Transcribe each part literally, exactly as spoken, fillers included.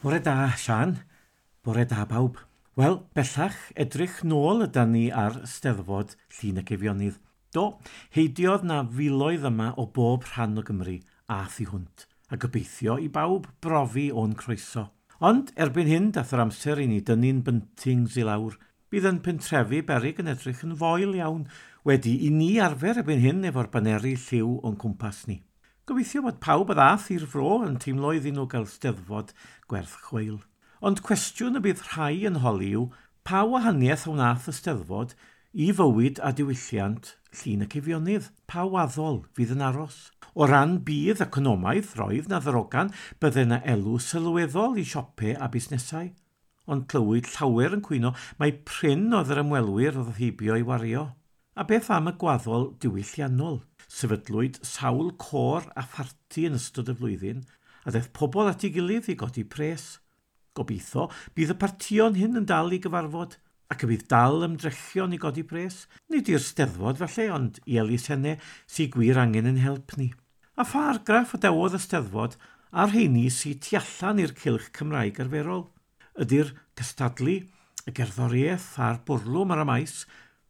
Bore da, Sian. Bore da, bawb. Wel, bellach, edrych nôl ydan ni ar Steddfod Llŷn ac Eifionydd. Do, heidiodd na filoedd yma o bob rhan o Gymru a thu hwnt, a gobeithio i bawb brofi o'n croeso. Ond erbyn hyn, dath yr amser i ni dynnu'n buntings i lawr. Bydd yn pentrefi berig yn edrych yn foel iawn, wedi i ni arfer erbyn hyn efo'r baneri lliw o'n cwmpas ni. Gobeithio bod pawb a ddath i'r fro yn teimlo iddyn nhw gael steddfod gwerth chweil. Ond cwestiwn y bydd rhai yn holi yw, pa wahaniaeth a wnaeth y steddfod i fywyd a diwylliant Llŷn ac Eifionydd? Pa waddol fydd yn aros? O ran budd economaidd, roedd na ddarogan bydde na elw sylweddol i siope a busnesau. Ond clywyd llawer yn cwyno mai prin oedd yr ymwelwyr oedd heibio i wario. A beth am y gwaddol diwylliannol? Sefydlwyd sawl côr a pharti yn ystod y flwyddyn, a ddaeth pobl at ei gilydd i godi pres. Gobeithio bydd y partïon hyn yn dal i gyfarfod, ac y bydd dal ymdrechion i godi pres. Nid i'r steddfod falle, ond i elusennau sy'n gwir angen yn help ni. A pha argraff adawodd y steddfod a'r rheini sy'n tu allan i'r cylch Cymraeg arferol? Ydy'r cystadlu, y gerddoriaeth a'r bwrlwm ar y maes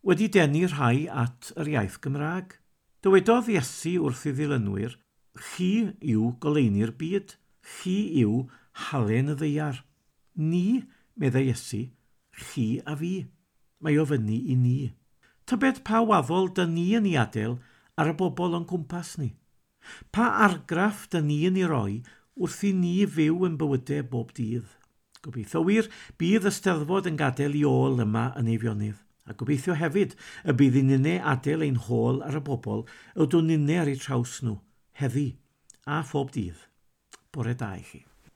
wedi denu rhai at yr iaith Gymraeg? Dywedodd Iesu wrth ei ddilynwyr, chi yw goleuni'r byd, chi yw halen y ddaear. Ni, meddai Iesu, chi a fi. Mae o fyny i ni. Tybed pa waddol dyn ni yn ei adael ar y bobl o'n cwmpas ni? Pa argraff dyn ni yn ei roi wrth i ni fyw yn bywydau bob dydd? Gobeithio wir, bydd y Steddfod yn gadael i ôl yma yn Eifionydd. A gobeithio hefyd y bydd i ninne adael ein hôl ar y bobl ydw ninne ar eu traws nhw, heddi a phob dydd. Bore da i chi.